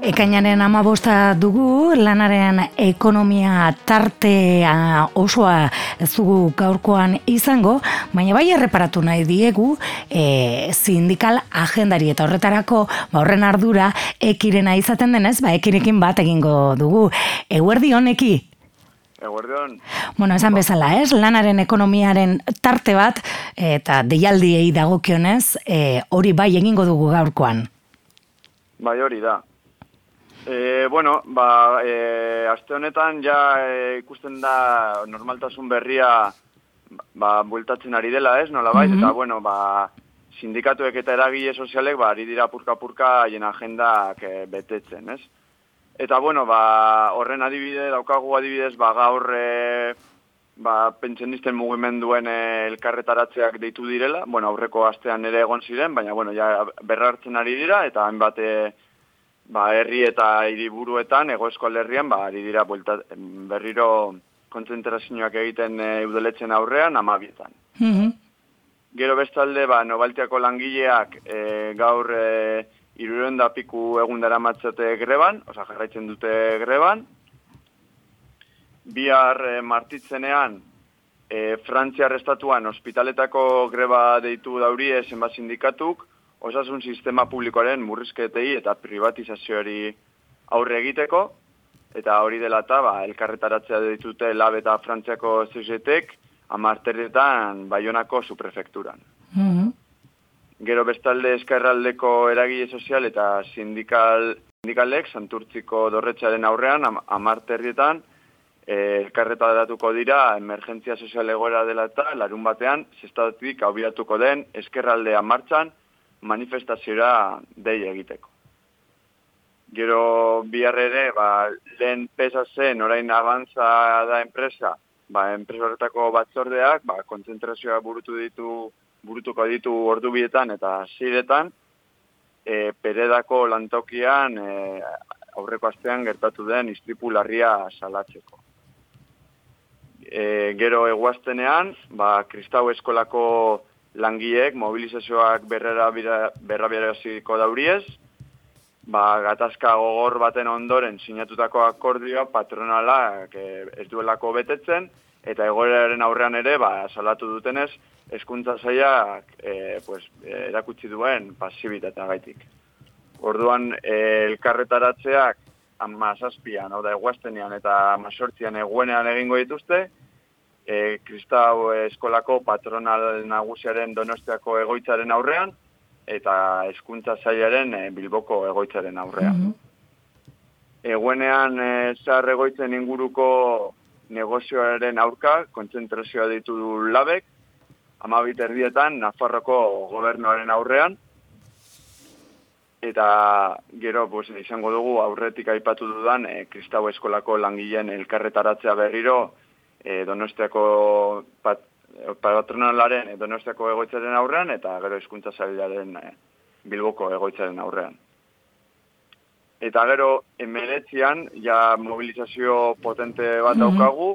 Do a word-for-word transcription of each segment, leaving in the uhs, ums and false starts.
Ekainaren hamabosta dugu, lanaren ekonomia tartea osoa ez dugu gaurkoan izango, baina bai erreparatu nahi diegu e, sindikal agendari eta horretarako ba, horren ardura ekirena izaten denez, ba, ekirekin bat egingo dugu. Eguerdi honeki? Eguerdion. Bueno, esan bezala, ez? Lanaren ekonomiaren tarte bat eta deialdiei dagokionez, e, hori bai egingo dugu gaurkoan. Bai, hori da. E, bueno, ba, e, aste honetan ja e, ikusten da normaltasun berria ba, bueltatzen ari dela, ez? Nola bai, mm-hmm. Eta bueno, ba, sindikatuek eta eragile sozialek ba, ari dira purka-purka haien agendak e, betetzen, ez? Eta bueno, ba, horren adibide, daukagu adibidez, ba, gaur e, ba, pentsionisten mugimenduen e, elkarretaratzeak deitu direla, bueno, aurreko astean ere egon ziren, baina bueno, ja berrartzen ari dira, eta hainbat e, ba, herri eta hiriburuetan, Hego Euskal Herrian, ba, ari dira buelta, berriro kontzentrazioak egiten e, eudeletzen aurrean, amabietan. Mm-hmm. Gero bestalde, ba, Nobaltiako langileak e, gaur e, hirurehun da piku egun daramatzate greban, osea jarraitzen dute greban. Bihar e, martitzenean, e, Frantziar estatuan ospitaletako greba deitu daurie zenbat sindikatuk, osasun sistema publikoaren murrizketei eta privatizazioari aurre egiteko, eta hori dela eta ba, elkarretaratzea ditute Lab eta Frantziako C G T-ek amarterretan Baionako suprefekturan. Mm-hmm. Gero bestalde eskerraldeko eragile sozial eta sindikal, sindikalek Santurtziko dorretxaren aurrean am, amarterrietan eh, elkarretaratuko dira emergentzia sozial egoera dela eta larun batean zestatik abiatuko den eskerraldea martxan manifestaziora dei egiteko. Gero bihar ere, ba, lehen pesa zen, orain abantza da enpresa, ba, enpresa horretako batzordeak, ba, kontzentrazioa burutu ditu, burutuko ditu ordubietan eta ziretan, e, Peredako lantokian e, aurreko astean gertatu den istripu larria salatzeko. E, gero eguaztenean, ba, Kristau eskolako langileek mobilizazioak berrabiaraziko dauriez, ba, gatazka gogor baten ondoren sinatutako akordioa patronalak e, ez duelako betetzen, eta egoeraren aurrean ere, ba, salatu dutenez, hezkuntza sailak e, pues, erakutsi duen pasibitatea gaitik. Orduan, e, elkarretaratzeak amazazpian, hau da, eguaztenean eta amazortzian eguenean egingo dituzte, e, Kristau eskolako patronal nagusiaren Donostiako egoitzaren aurrean, eta hezkuntza sailaren e, Bilboko egoitzaren aurrean. Mm-hmm. Eguenean, e, zahar egoitzen inguruko negozioaren aurka, kontzentrazioa ditu du Labek, amabit erdietan, Nafarroko gobernuaren aurrean, eta gero pues, izango dugu aurretik aipatu dudan e, Kristau eskolako langileen elkarretaratzea berriro e, Donostiako pat, patronalaren e, Donostiako egoitzaren aurrean, eta gero hezkuntza sailaren e, Bilboko egoitzaren aurrean. Eta gero, emeretzian, ja mobilizazio potente bat daukagu,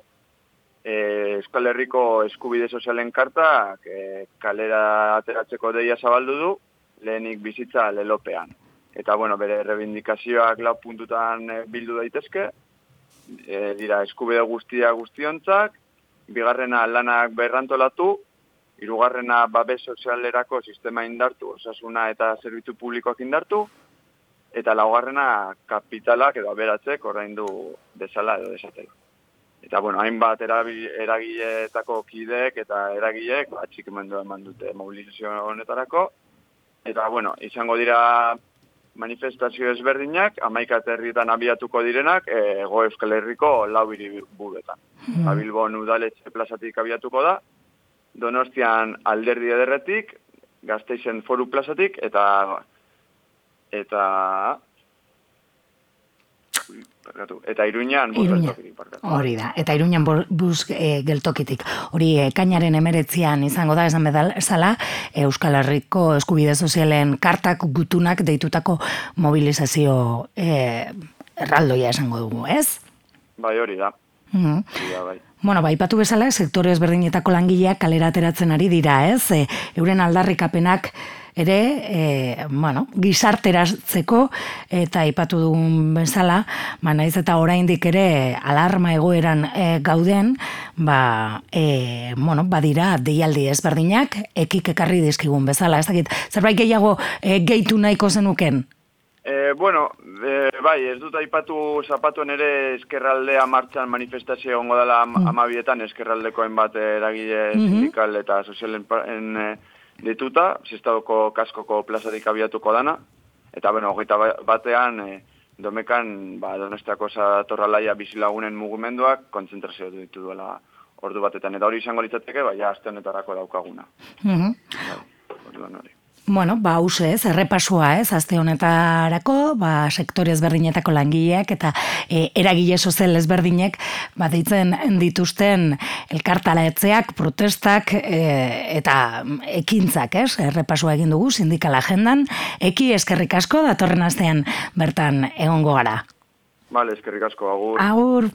e, Euskal Herriko eskubide sozialen karta e, kalera ateratzeko deia zabaldu du, lehenik bizitza lelopean. Eta, bueno, bere rebindikazioak lau puntutan e, bildu daitezke, e, dira eskubide guztia guztiontzak, bigarrena lanak berrantolatu, hirugarrena babes sozialerako sistema indartu, osasuna eta zerbitzu publikoak indartu, eta laugarrena kapitalak edo aberatzek ordaindu desala edo desatela. Eta, bueno, hainbat eragileetako kideek eta eragileek atxikimendua eman dute mobilizazio honetarako. Eta, bueno, izango dira manifestazio ezberdinak, hamaika herrietan abiatuko direnak, Hego Euskal Herriko lau hiriburuetan. Mm. Bilbon udaletxe plazatik abiatuko da, Donostian Alderdi Ederretik, Gasteizen Foru plazatik, eta eta eta Iruñan bus geltokitik. Hori da, eta Iruñan bus e, geltokitik. Hori ekainaren emeretzian izango da, esan bezala, Euskal Herriko eskubide sozialen kartak gutunak deitutako mobilizazio e, erraldoia esango dugu, ez? Bai, hori da. Mm-hmm. Ja, bai. Bueno, ba, ipatu bezala, sektore ezberdinetako langileak kalera ateratzen ari dira, ez? E, euren aldarrikapenak ere, e, bueno, gizarteratzeko eta aipatu dugun bezala, ba, naiz eta oraindik ere alarma egoeran e, gauden, ba, e, bueno, badira deialdi ezberdinak, ekik ekarri dizkigun bezala, ez dakit, zerbait gehiago e, gehitu nahiko zenuken? E, bueno, e, bai, ez dut aipatu zapatuen ere eskerraldea martxan manifestazio egongo dela am, mm. amabietan, eskerraldeko hainbat eragile mm-hmm. sindikal eta sozialen e, dituta, Zestadoko kaskoko plazarik abiatuko dana, eta bueno, hogeita batean e, domekan ba, Donostiako Zatorralaia bizilagunen mugimenduak kontzentrazio ditu duela ordu batetan, eta hori izango litzateke, bai, aste honetarako daukaguna. Mm-hmm. Bai, orduan hori. Bueno, ba, hause ez, errepasua ez, aste honetarako, ba, sektore ezberdinetako langileak eta e, eragile sozial ezberdinek, ba, deitzen dituzten elkartaletzeak, protestak e, eta ekintzak, ez, errepasua egin dugu sindikal agendan, eki eskerrik asko, datorren astean bertan egongo gara. Vale, eskerrik asko, agur. Agur.